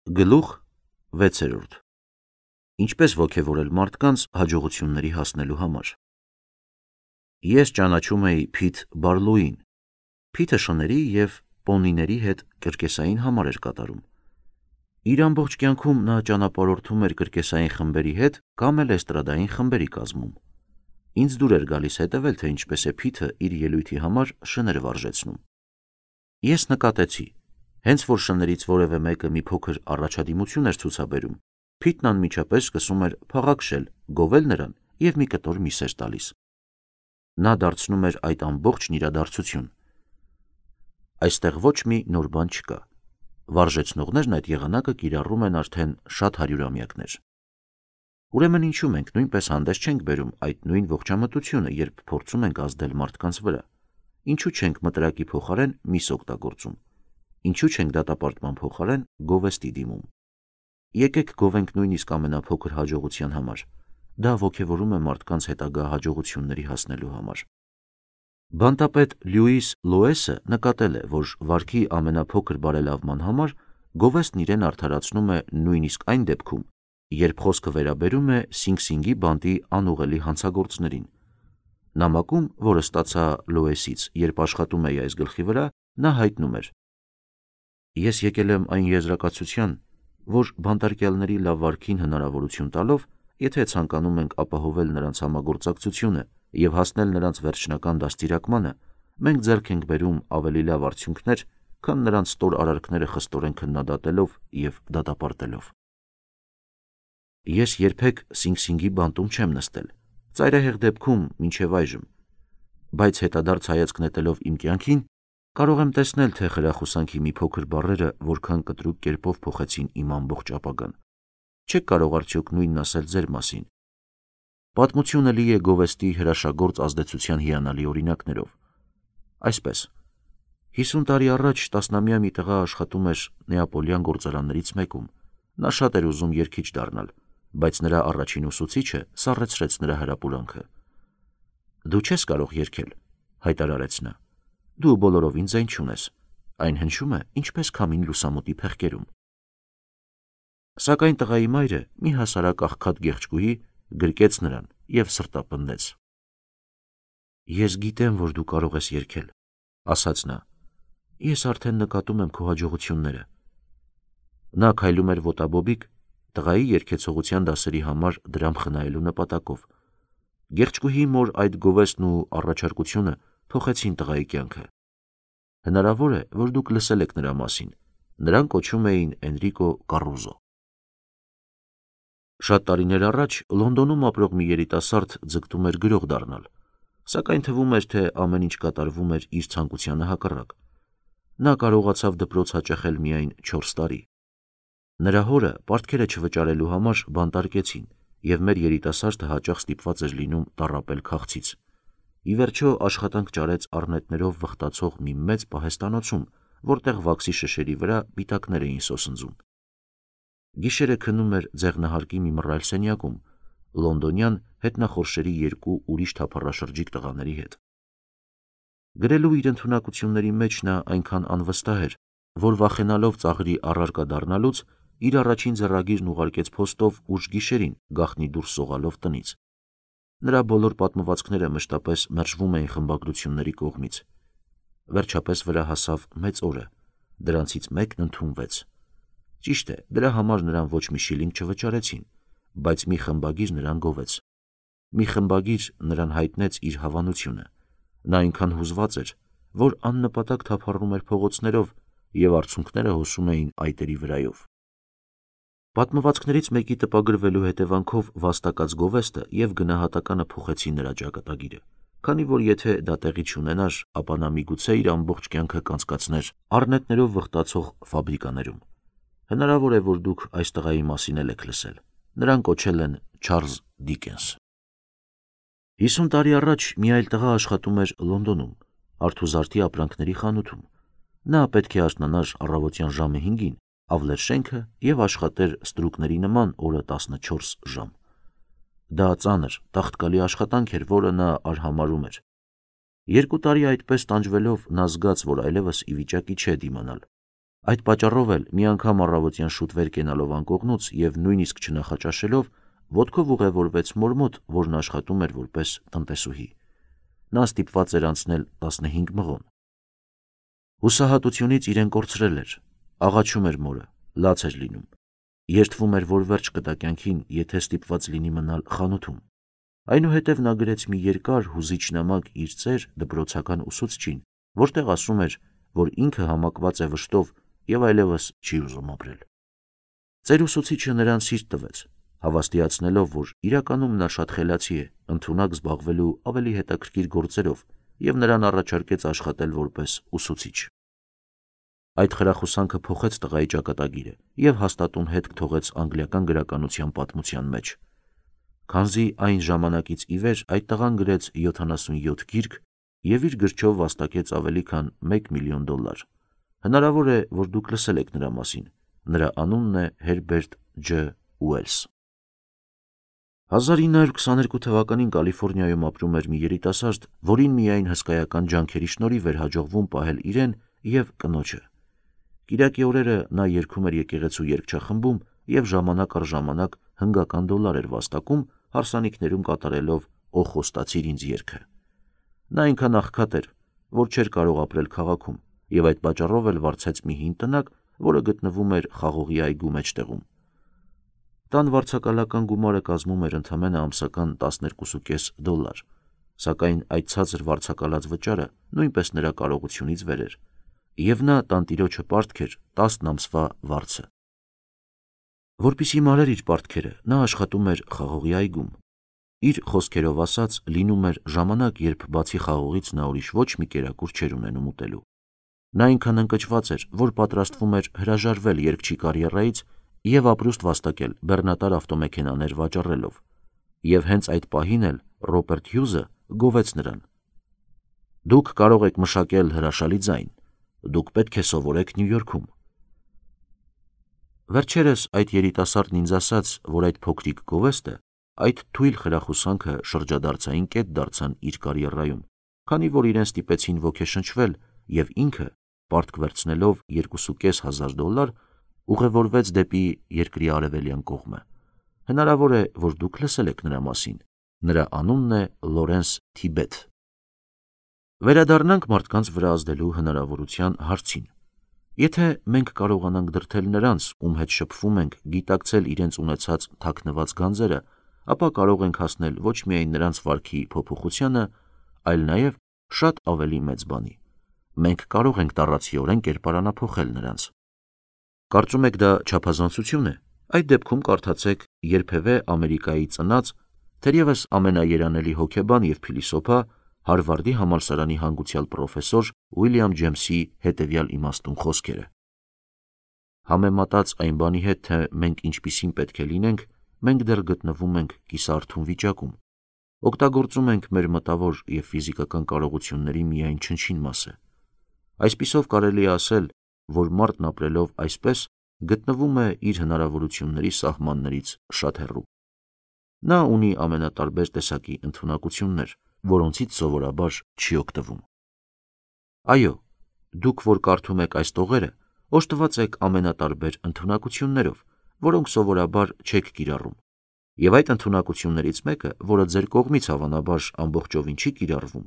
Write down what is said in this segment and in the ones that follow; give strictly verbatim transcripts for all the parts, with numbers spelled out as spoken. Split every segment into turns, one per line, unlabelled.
Գլուխ վեցերորդ. Ինչպես ոգևորել մարդկանց հաջողությունների հասնելու համար։ Ես ճանաչում էի Փիթ Բարլոուին։ Փիթը շների և պոնիների հետ կրկեսային համար էր կատարում։ Իր ամբողջ կյանքում նա ճանապարհորդում էր կրկեսային խմբերի հետ կամ էլ էստրադային խմբերի կազմում։ Ինձ դուր էր գալիս հետևել, թե ինչպես է Փիթը իր ելույթի համար շներ վարժեցնում։ Ես նկատեցի, հենց որ շներից որևէ մեկը մի փոքր առաջադիմություն էր ցուցաբերում, Փիթն անմիջապես սկսում էր փաղաքշել, գովել նրան և մի կտոր միս էր տալիս։ Նա դարձնում էր այդ ամբողջն իրադարձություն։ Այստեղ ոչ մի նոր բան չկա։ Վարժեցնողներն այդ եղանակը կիրառում են արդեն շատ հարյուրամյակներ։ Ուրեմն ինչու մենք նույնպես հանդես չենք բերում այդ նույն ողջամտությունը, երբ փորձում ենք ազդել մարդկանց վրա։ Ինչու չենք մտրակի փոխարեն միս օգտագործում։ Ինչու չենք դատապարտման փոխարեն գովեստի դիմում։ Եկեք գովենք նույնիսկ ամենափոքր հաջողության համար։ Դա ոգևորում է մարդկանց հետագա հաջողությունների հասնելու համար։ Բանտապետ Լյուիս Լոեսը նկատել է, որ վարքի ամենափոքր բարելավման համար գովեստն իրեն արդարացնում է նույնիսկ այն դեպքում, երբ խոսքը վերաբերում է Սինգ-Սինգի բանտի անուղելի հանցագործներին։ Նամակում, որը ստացա Լոեսից, երբ աշխատում էի այս գլխի վրա, նա հայտնում էր. Ես եկել եմ այն եզրակացության, որ բանտարկյալների լավ վարքին հնարավորություն տալով, եթե ցանկանում ենք ապահովել նրանց համագործակցությունը և հասնել նրանց վերջնական դաստիարակմանը, մենք ձեռք ենք բերում ավելի լավ արդյունքներ, քան նրանց ստոր արարքները խստորեն քննադատելով և դատապարտելով։ Ես երբեք Սինգ-Սինգի բանտում չեմ նստել, ծայրահեղ դեպքում մինչև այժմ, բայց հետադարձ հայացք նետելով իմ կյանքին, կարող եմ տեսնել, թե խրախուսանքի մի փոքր բառերը որքան կտրուկ կերպով փոխեցին իմ ամբողջ ապագան։ Չեք կարող արդյոք նույնն ասել ձեր մասին։ Պատմությունը լի է գովեստի հրաշագործ ազդեցության հիանալի օրինակներով։ Այսպես, հիսուն տարի առաջ տասնամյա մի տղա աշխատում էր նեապոլյան գործարաններից մեկում։ Նա շատ էր ուզում երգիչ դառնալ, բայց նրա առաջին ուսուցիչը սառեցրեց նրա հրապուրանքը։ Դու չես կարող երգել, հայտարարեց նա։ Դու բոլորովին ձայն չունես։ Այն հնչում է ինչպես քամին լուսամուտի փեղկերում։ Սակայն տղայի մայրը, մի հասարակ աղքատ գեղեցկուհի, գրկեց նրան և սրտապնդեց։ Ես գիտեմ, որ դու կարող ես երգել, ասաց նա։ Ես արդեն նկատում եմ քո հաջողությունները։ Նա քայլում էր ոտաբոբիկ, տղայի երգեցողության դասերի համար դրամ խնայելու նպատակով։ Գեղեցկուհի մոր այդ գովեստն ու առաջարկությունը փոխեցին տղայի կյանքը։ Հնարավոր է, որ դուք լսել եք նրա մասին։ Նրան կոչում էին Էնրիկո Կարուզո։ Շատ տարիներ առաջ Լոնդոնում ապրող մի երիտասարդ ձգտում էր գրող դառնալ, սակայն թվում էր, թե ամեն ինչ կատարվում էր իր ցանկությանը հակառակ։ Նա կարողացավ դպրոց հաճախել միայն չորս տարի։ Նրա հորը պարտքերը չվճարելու համար բանտարկեցին, և մեր երիտասարդը հաճախ ստիպված էր լինում տառապել քաղցից։ Ի վերջո աշխատանք ճարեց առնետներով վխտացող մի մեծ պահեստանոցում, որտեղ վաքսի շշերի վրա պիտակներ էին սոսնձում։ Գիշերը քնում էր ձեղնահարկի մի մռայլ սենյակում, լոնդոնյան հետնախորշերի երկու ուրիշ թափառաշրջիկ տղաների հետ։ Գրելու իր ընդունակությունների մեջ նա այնքան անվստահ էր, որ վախենալով ծաղրի առարկա դառնալուց, իր առաջին ձեռագիրն ուղարկեց փոստով ուշ գիշերին, գաղտնի դուրս սողալով տնից։ Նրա բոլոր պատմվածքները մշտապես մերժվում էին խմբագրությունների կողմից։ Վերջապես վրա հասավ մեծ օրը, դրանցից մեկն ընդունվեց։ Ճիշտ է, դրա համար նրան ոչ մի շիլինգ չվճարեցին, բայց մի խմբագիր նրան գովեց։ Մի խմբագիր նրան հայտնեց իր հավանությունը։ Նա այնքան հուզված էր, որ աննպատակ թափառում էր փողոցներով և արցունքները հոսում էին այտերի վրայով։ Պատմվածքներից մեկի տպագրվելու հետևանքով վաստակած գովեստը և գնահատականը փոխեցին նրա ճակատագիրը, քանի որ եթե դա տեղի չունենար, ապա նա միգուցե իր ամբողջ կյանքը կանցկացներ առնետներով վխտացող ֆաբրիկաներում։ Հնարավոր է, որ դուք այս տղայի մասին էլ եք լսել։ Նրան կոչել են Չարլզ Դիկենս։ Հիսուն տարի առաջ մի այլ տղա աշխատում էր Լոնդոնում, արթուզարդի ապրանքների խանութում։ Նա պետք է արթնանար առավոտյան ժամը հինգին, ավլեր շենքը և աշխատեր ստրուկների նման օրը տասնչորս ժամ։ Դա ծանր, տաղտկալի աշխատանք էր, որը նա արհամարհում էր։ Երկու տարի այդպես տանջվելով նա զգաց, որ այլևս ի վիճակի չէ դիմանալ։ Այդ պատճառով էլ մի անգամ առավոտյան շուտ վեր կենալով անկողնուց եւ նույնիսկ չնախաճաշելով, ոտքով ուղևորվեց մոր մոտ, որն աշխատում էր որպես տնտեսուհի։ Նա ստիպված էր անցնել տասնհինգ մղոն։ Հուսահատությունից իրեն կորցրել էր, աղաչում էր մորը, լաց էր լինում, երդվում էր, որ վերջ կտա կյանքին, եթե ստիպված լինի մնալ խանութում։ Այնուհետև նա գրեց մի երկար հուզիչ նամակ իր ծեր դպրոցական ուսուցչին, որտեղ ասում էր, որ ինքը համակված է վշտով եւ այլևս չի ուզում ապրել։ Ծեր ուսուցիչը նրան սիրտ տվեց, հավաստիացնելով, որ իրականում նա շատ խելացի է, ընդունակ զբաղվելու ավելի հետաքրքիր գործերով եւ նրան առաջարկեց աշխատել որպես ուսուցիչ։ Այդ խրախուսանքը փոխեց տղայի ճակատագիրը եւ հաստատուն հետք թողեց անգլիական գրականության պատմության մեջ։ Քանզի այն ժամանակից ի վեր այդ տղան գրեց յոթանասունյոթ գիրք եւ իր գրչով վաստակեց ավելի քան մեկ միլիոն դոլար։ Հնարավոր է, որ դուք լսել եք նրա մասին։ Նրա անունն է Հերբերտ Ջ. Ուելս։ հազար ինը հարյուր քսաներկու թվականին Կալիֆոռնիայում ապրում էր մի երիտասարդ, որին միայն հսկայական ջանքերի շնորհիվ էր հաջողվում պահել իրեն եւ կնոջը։ Կիրակի օրերը նա երգում էր եկեղեցու երգչախմբում եւ ժամանակ առ ժամանակ հնգական դոլար էր վաստակում, հարսանիքներում կատարելով «Օ խոստացիր ինձ» երգը։ Նա այնքան աղքատ էր, որ չէր կարող ապրել քաղաքում եւ այդ պատճառով էլ վարձեց մի հին տնակ, որը գտնվում էր խաղողի այգու մեջտեղում։ Տան վարձակալական գումարը կազմում էր ընդամենը ամսական տասներկուսուկես դոլար, սակայն այդ ցածր վարձակալած վճարը նույնպես նրա կարողությունից վեր էր, եւ նա տանտիրոջը պարտքեր տասն ամսվա վարձը։ Որպեսզի մարեր իր պարտքերը, նա աշխատում էր խաղողի այգում։ Իր խոսքերով ասած, լինում էր ժամանակ, երբ բացի խաղողից նա ուրիշ ոչ մի կերակուր չէր ունենում ուտելու։ Նա այնքան ընկճված էր, որ պատրաստվում էր հրաժարվել երգչի կարիերայից եւ ապրուստ վաստակել բեռնատար ավտոմեքենաներ վաճառելով։ Եվ հենց այդ պահին էլ Ռոբերտ Հյուզը գովեց նրան. «Դուք կարող եք մշակել հրաշալի ձայն, դուք պետք է սովորեք Նյու Յորքում»։ Վերջերս այդ երիտասարդն ինձ ասաց, որ այդ փոքրիկ գովեստը, այդ թույլ խրախուսանքը շրջադարձային կետ դարձան իր կարիերայում, քանի որ իրեն ստիպեցին ոգեշնչվել եւ ինքը, պարտք վերցնելով երկուսուկես հազար դոլար, ուղևորվեց դեպի երկրի արևելյան կողմը։ Հնարավոր է, որ դուք լսել եք նրա մասին։ Նրա անունն է Լորենս Թիբեթ։ Վերադառնանք մարդկանց վրա ազդելու հնարավորության հարցին։ Եթե մենք կարողանանք դրդել նրանց, ում հետ շփվում ենք, գիտակցել իրենց ունեցած թաքնված գանձերը, ապա կարող ենք հասնել ոչ միայն նրանց վարքի փոփոխությանը, այլ նաև շատ ավելի մեծ բանի։ Մենք կարող ենք տառացիորեն կերպարանափոխել նրանց։ Կարծում եք դա չափազանցություն է։ Այդ դեպքում կարդացեք երբևէ Ամերիկայի ծնած, թերևս ամենաերանելի հոգեբան եւ փիլիսոփա Հարվարդի համալսարանի հանգուցյալ պրոֆեսոր Ուիլյամ Ջեյմսի հետևյալ իմաստուն խոսքերը. Համեմատած այն բանի հետ, թե մենք ինչպիսին պետք է լինենք, մենք դեռ գտնվում ենք կիսարթուն վիճակում։ Օգտագործում ենք մեր մտավոր եւ ֆիզիկական կարողությունների միայն չնչին մասը։ Այսպիսով կարելի է ասել, որ մարդն ապրելով այսպես գտնվում է իր հնարավորությունների սահմաններից շատ հեռու։ Նա ունի ամենատարբեր տեսակի ընդունակություններ, որոնցից սովորաբար չի օգտվում։ Այո, դուք, որ կարդում եք այս տողերը, օժտված եք ամենատարբեր ընդունակություններով, որոնք սովորաբար չեք կիրառում։ Եվ այդ ընդունակություններից մեկը, որը ձեր կողմից հավանաբար ամբողջովին չի կիրառվում,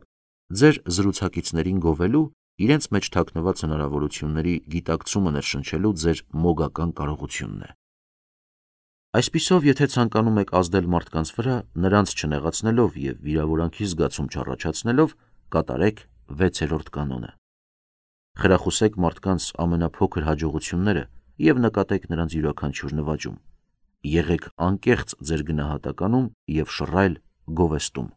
ձեր զրուցակիցներին գովելու, իրենց մեջ թաքնված հնարավորությունների գիտակցումը ներշնչելու ձեր մոգական կարողությունն է։ Այսպիսով, եթե ցանկանում եք ազդել մարդկանց վրա, նրանց չնեղացնելով եւ վիրավորանքի զգացում չառաջացնելով, կատարեք վեցերորդ կանոնը։ Խրախուսեք մարդկանց ամենափոքր հաջողությունները եւ նկատեք նրանց յուրաքանչյուր նվաճում։ Եղեք անկեղծ ձեր գնահատականում եւ շռայլ գովեստում։